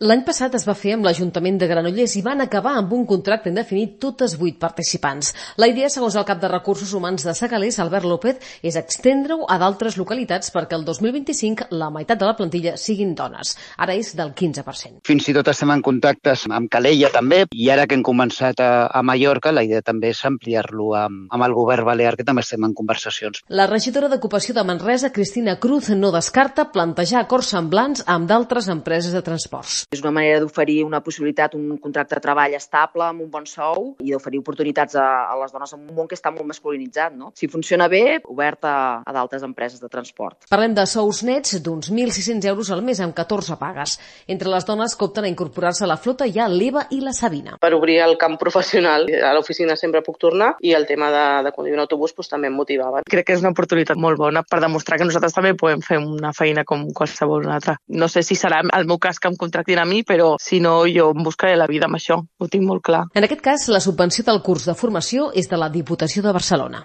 L'any passat es va fer amb l'Ajuntament de Granollers i van acabar amb un contracte indefinit totes 8 participants. La idea, segons el cap de Recursos Humans de Segalers, Albert López, és extendre-ho a d'altres localitats perquè el 2025 la meitat de la plantilla siguin dones. Ara és del 15%. Fins i tot estem en contactes amb Calella també, i ara que hem començat a Mallorca, la idea també és ampliar-lo amb el govern balear, que també estem en conversacions. La regidora d'Ocupació de Manresa, Cristina Cruz, no descarta plantejar acords semblants amb d'altres empreses de transports. És una manera d'oferir una possibilitat, un contracte de treball estable, amb un bon sou, i d'oferir oportunitats a les dones en un món que està molt masculinitzat, no? Si funciona bé, obert a d'altres empreses de transport. Parlem de sous nets d'uns 1.600 euros al mes amb 14 pagues. Entre les dones que opten a incorporar-se a la flota hi ha l'Eva i la Sabina. Per obrir el camp professional, a l'oficina sempre puc tornar, i el tema de conduir un autobús també em motivava. Crec que és una oportunitat molt bona per demostrar que nosaltres també podem fer una feina com qualsevol altra. No sé si serà el meu cas que em contractin a mi, però si no, jo em buscaré la vida amb això. Ho tinc molt clar. En aquest cas, la subvenció del curs de formació és de la Diputació de Barcelona.